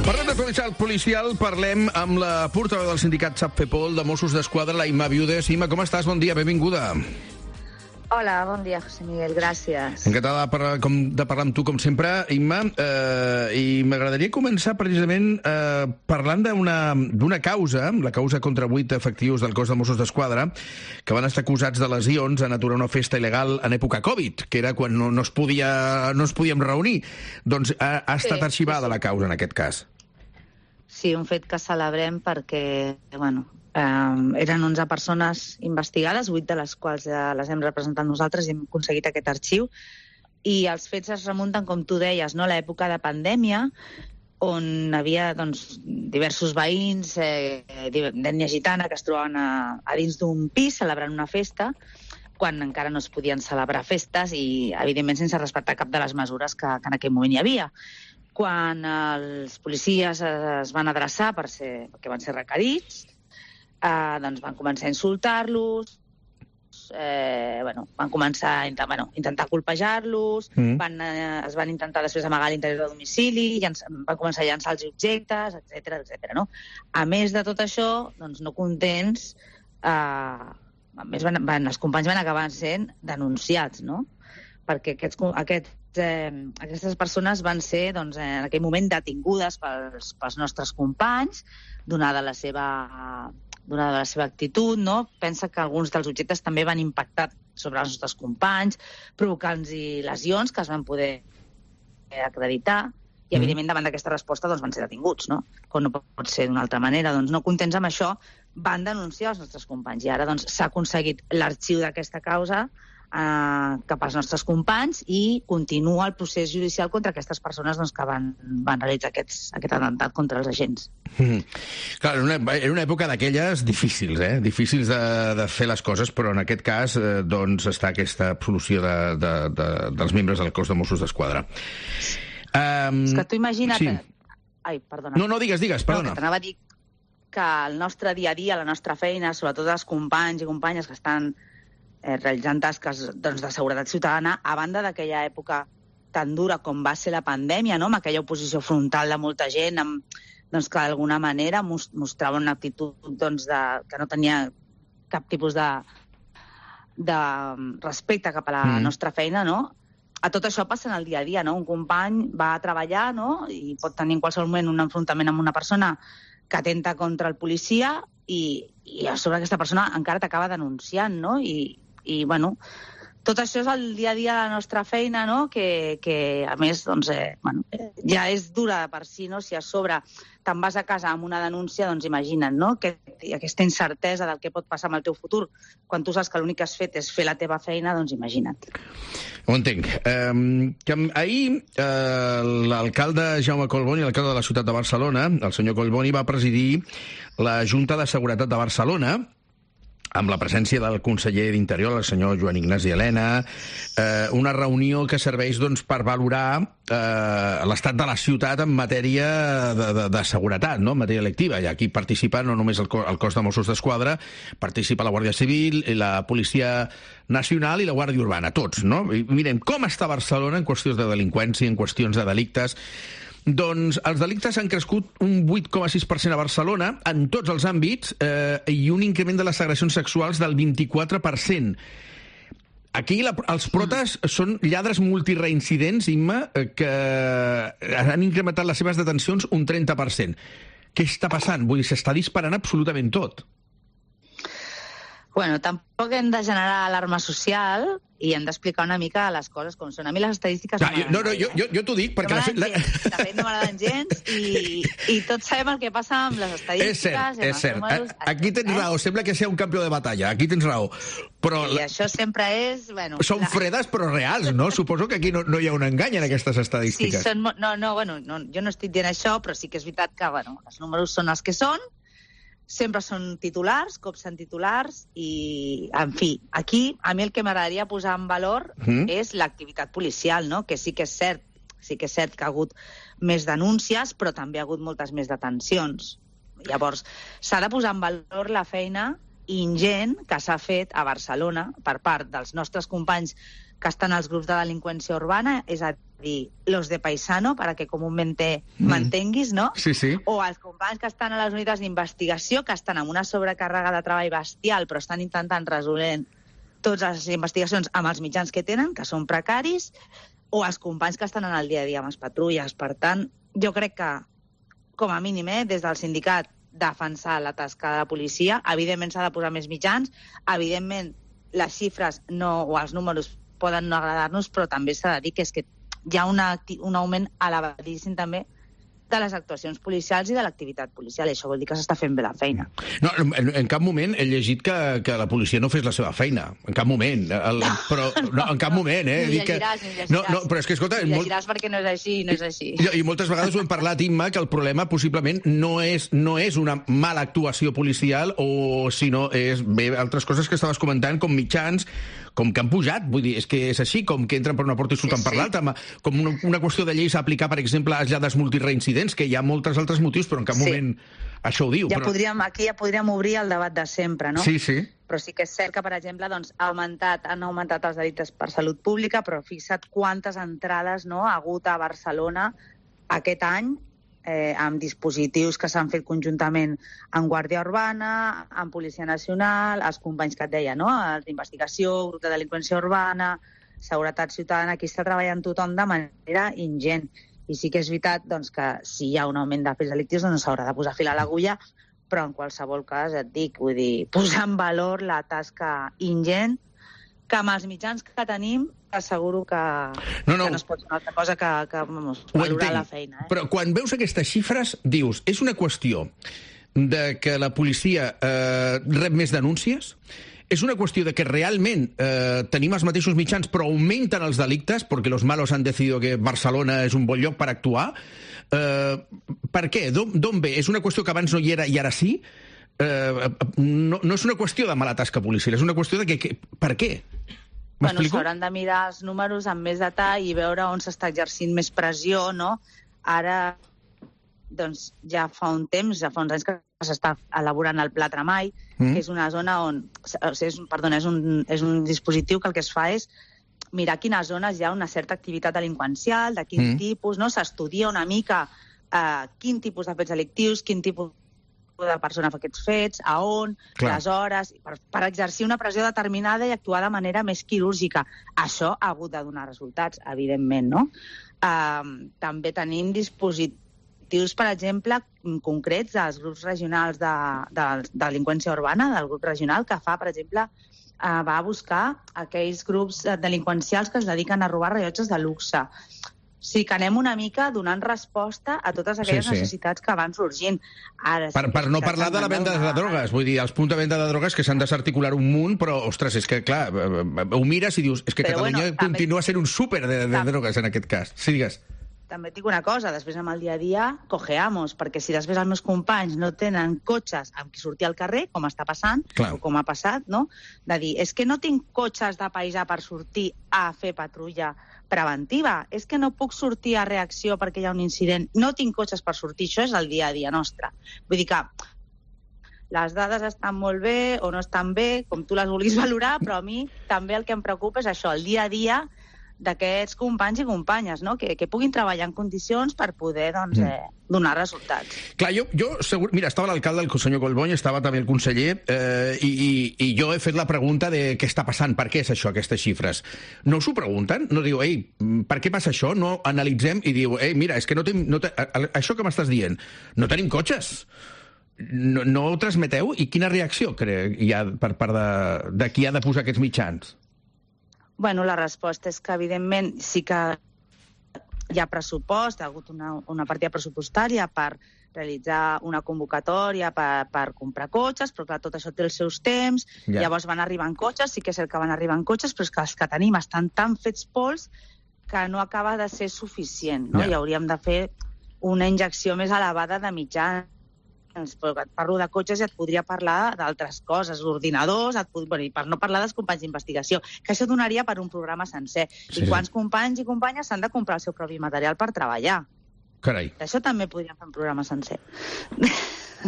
Parlem d'actualitat policial, parlem amb la portaveu del sindicat SAPFEPOL de Mossos d'Esquadra, la Imma Viudes. Imma, com estàs? Bon dia, benvinguda. Hola, bon dia, José Miguel, gràcies. Encantada de parlar amb tu, com sempre, Imma. I m'agradaria començar precisament parlant d'una causa, la causa contra 8 efectius del cos de Mossos d'Esquadra, que van estar acusats de lesions en aturar una festa il·legal en època Covid, que era quan no es podíem reunir. Doncs ha estat arxivada la causa en aquest cas. Sí, un fet que celebrem perquè, eren 11 persones investigades, 8 de les quals les hem representat nosaltres i hem aconseguit aquest arxiu. I els fets es remunten, com tu deies, a l'època de pandèmia, on hi havia diversos veïns d'ètnia gitana que es trobaven a dins d'un pis celebrant una festa, quan encara no es podien celebrar festes i, evidentment, sense respectar cap de les mesures que en aquell moment hi havia. Quan els policies es van adreçar perquè van ser requerits, van començar a insultar-los, van començar a intentar colpejar-los, es van intentar després amagar a l'interior del domicili, van començar a llançar els objectes, etc. No? A més de tot això, no contents, els companys van acabar sent denunciats, no? Perquè aquestes persones van ser en aquell moment detingudes pels nostres companys, donada la seva actitud, no? Pensa que alguns dels objectes també van impactar sobre els nostres companys, provocant-los lesions que es van poder acreditar, i evidentment davant d'aquesta resposta van ser detinguts, no? Com no pot ser d'una altra manera. No contents amb això, van denunciar els nostres companys, i ara s'ha aconseguit l'arxiu d'aquesta causa cap als nostres companys i continua el procés judicial contra aquestes persones que van realitzar aquest atemptat contra els agents. Clar, era una època d'aquelles difícils, difícils de fer les coses, però en aquest cas està aquesta absolució dels membres del cos de Mossos d'Esquadra. És que tu imagina't... Sí. Ai, perdona. No, digues, perdona. T'anava a dir que el nostre dia a dia, la nostra feina, sobretot els companys i companyes que estan realitzant tasques de seguretat ciutadana, a banda d'aquella època tan dura com va ser la pandèmia, no? Amb aquella oposició frontal de molta gent, que d'alguna manera mostrava una actitud que no tenia cap tipus de respecte cap a la nostra feina, no? A tot això passa en el dia a dia, no? Un company va a treballar, no? I pot tenir en qualsevol moment un enfrontament amb una persona que atenta contra el policia i a sobre aquesta persona encara t'acaba denunciant, no? I tot això és el dia a dia de la nostra feina, no? Que a més, ja és dura per si, no? Si a sobre te'n vas a casa amb una denúncia, imagina't, no? Aquesta incertesa del que pot passar amb el teu futur, quan tu saps que l'únic que has fet és fer la teva feina, imagina't. Ho entenc. Ahir l'alcalde Jaume Collboni, l'alcalde de la ciutat de Barcelona, el senyor Collboni, va presidir la Junta de Seguretat de Barcelona, amb la presència del conseller d'Interior, el senyor Joan Ignasi Elena, una reunió que serveix per valorar l'estat de la ciutat en matèria de seguretat, no? En matèria electiva. I aquí participa no només el cos de Mossos d'Esquadra, participa la Guàrdia Civil, la Policia Nacional i la Guàrdia Urbana, tots, no? I mirem com està Barcelona en qüestions de delinqüència, en qüestions de delictes. Doncs els delictes han crescut un 8,6% a Barcelona en tots els àmbits i un increment de les agressions sexuals del 24%. Aquí els protes són lladres multireincidents, Imma, que han incrementat les seves detencions un 30%. Què està passant? Vull dir, s'està disparant absolutament tot. Tampoc hem de generar alarma social i hem d'explicar una mica les coses com són. A mi les estadístiques... Jo t'ho dic perquè... De fet, no m'agraden gens i tots sabem el que passa amb les estadístiques. És cert. Aquí tens raó. Sembla que sigui un campió de batalla. Aquí tens raó. I això sempre és... Són fredes però reals, no? Suposo que aquí no hi ha un engany en aquestes estadístiques. Sí, jo no estic dient això, però sí que és veritat que els números són els que són. Sempre són titulars, cops en titulars, i, en fi, aquí a mi el que m'agradaria posar en valor és l'activitat policial, no? Que sí que és cert que ha hagut més denúncies, però també ha hagut moltes més detencions. Llavors, s'ha de posar en valor la feina ingent que s'ha fet a Barcelona per part dels nostres companys que estan als grups de delinqüència urbana, és a dir, los de paisano, para que comúnmente m'entenguis, no? Sí, sí. O els companys que estan a les unitats d'investigació, que estan amb una sobrecàrrega de treball bestial, però estan intentant resolent totes les investigacions amb els mitjans que tenen, que són precaris, o els companys que estan en el dia a dia amb les patrulles. Per tant, jo crec que, com a mínim, des del sindicat, defensar la tasca de la policia, evidentment s'ha de posar més mitjans, evidentment les xifres o els números poden no agradar-nos, però també s'ha de dir que és que hi ha un augment elevadíssim també de les actuacions policials i de l'activitat policial, i això vol dir que s'està fent bé la feina. No, en cap moment he llegit que la policia no fes la seva feina, en cap moment. Però en cap moment, eh? Ni llegiràs. No, però és que, escolta... Ni llegiràs perquè no és així, I moltes vegades ho hem parlat, Imma, que el problema possiblement no és una mala actuació policial, sinó és altres coses que estaves comentant, com mitjans, com que han pujat, vull dir, és que és així, com que entren per una porta i surten per l'altra, com una qüestió de lleis a aplicar, per exemple, a aïllades multireincidents, que hi ha molts altres motius, però en cap moment això ho diu. Aquí ja podríem obrir el debat de sempre, no? Sí. Però sí que és cert que, per exemple, doncs, han augmentat els delictes per salut pública, però fixa't quantes entrades ha hagut a Barcelona aquest any, amb dispositius que s'han fet conjuntament amb Guàrdia Urbana, amb Policia Nacional, els companys que et deia, no? Els d'investigació, grup de delinqüència urbana, seguretat ciutadana, aquí està treballant tothom de manera ingent. I sí que és veritat doncs, que si hi ha un augment de fets delictius doncs s'haurà de posar fil a l'agulla, però en qualsevol cas et dic, vull dir, posar en valor la tasca ingent que amb els mitjans que tenim asseguro que no es pot fer una altra cosa que valorar la feina. Però quan veus aquestes xifres, dius, és una qüestió de que la policia rep més denúncies? És una qüestió de que realment tenim els mateixos mitjans però augmenten els delictes perquè los malos han decidido que Barcelona és un bon lloc per actuar? Per què? D'on ve? És una qüestió que abans no hi era i ara sí? No és una qüestió de mala tasca policial, és una qüestió de que... Per què? Bueno, s'hauran de mirar els números amb més detall i veure on s'està exercint més pressió, no? Ara, doncs, ja fa uns anys que s'està elaborant el Pla Tremall, que és una zona on... és un dispositiu que el que es fa és mirar quines zones hi ha una certa activitat delinqüencial, de quin tipus, no? S'estudia una mica quin tipus de fets delictius, quin tipus de persona fa aquests fets, a on, les hores, per exercir una pressió determinada i actuar de manera més quirúrgica. Això ha hagut de donar resultats, evidentment, no? També tenim dispositius, per exemple, concrets dels grups regionals de delinqüència urbana, del grup regional, que fa, per exemple, va a buscar aquells grups delinqüencials que es dediquen a robar rellotges de luxe. Sí, que anem una mica donant resposta a totes aquelles necessitats que van sorgint. Per no parlar de la venda de drogues, vull dir, els punts de venda de drogues que s'han de s'articular un munt, però, ostres, és que, clar, ho mires i dius, és que Catalunya continua sent un súper de drogues en aquest cas. Sí, digues. També et dic una cosa, després amb el dia a dia cojeamos, perquè si després els meus companys no tenen cotxes amb qui sortir al carrer, com està passant, o com ha passat, no? De dir, és que no tinc cotxes de paisà per sortir a fer patrulla preventiva, és que no puc sortir a reacció perquè hi ha un incident, no tinc cotxes per sortir, això és el dia a dia nostre. Vull dir que les dades estan molt bé o no estan bé, com tu les vulguis valorar, però a mi també el que em preocupa és això, el dia a dia d'aquests companys i companyes, no? Que puguin treballar en condicions per poder donar resultats. Clar, jo segur... Mira, estava l'alcalde, el senyor Collboni, estava també el conseller, i jo he fet la pregunta de què està passant, per què és això, aquestes xifres. No us ho pregunten? No diu, per què passa això? No analitzem i diu, mira, és que això que m'estàs dient, no tenim cotxes. No ho transmeteu? I quina reacció hi ha per part de qui ha de posar aquests mitjans? Bueno, la resposta és que, evidentment, sí que hi ha pressupost, ha hagut una partida pressupostària per realitzar una convocatòria per comprar cotxes, però clar, tot això té els seus temps, llavors van arribant cotxes, sí que és cert que van arribant cotxes, però és que els que tenim estan tan fets pols que no acaba de ser suficient, no? I hauríem de fer una injecció més elevada de mitjans. Però et parlo de cotxes i et podria parlar d'altres coses, ordinadors, i per no parlar dels companys d'investigació, que això donaria per un programa sencer. I quants companys i companyes s'han de comprar el seu propi material per treballar? Carai. Això també podríem fer un programa sencer.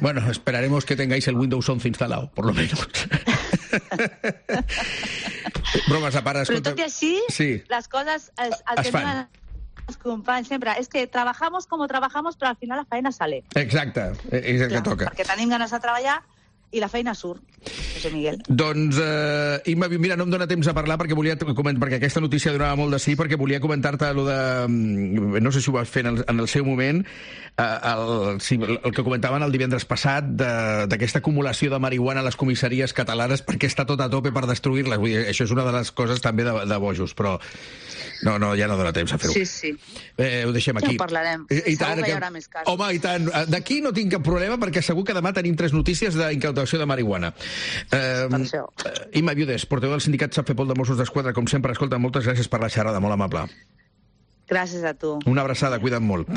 Bueno, esperaremos que tengáis el Windows 11 instalado, por lo menos. Bromes a part, escolta... Però tot i així, les coses... El que diuen els companys sempre és que trabajamos como trabajamos, però al final la feina sale. Exacte, és el que toca. Perquè tenim ganes de treballar i la feina surt, José Miguel. Doncs, Imma, mira, no em dona temps a parlar perquè perquè aquesta notícia donava molt de sí, perquè volia comentar-te allò de... No sé si ho vas fer en el seu moment, el que comentaven el divendres passat d'aquesta acumulació de marihuana a les comissaries catalanes perquè està tot a tope per destruir-les. Vull dir, això és una de les coses també de bojos, però no, ja no dona temps a fer-ho. Sí. Ho deixem aquí. Ja ho parlarem. Segur que hi haurà més casos. Home, i tant. D'aquí no tinc cap problema perquè segur que demà tenim 3 notícies d'incautació de marihuana. Imma Viudes, portaveu del sindicat SAPFEPOL de Mossos d'Esquadra, com sempre, escolta, moltes gràcies per la xerrada, molt amable. Gràcies a tu. Una abraçada, cuida't molt.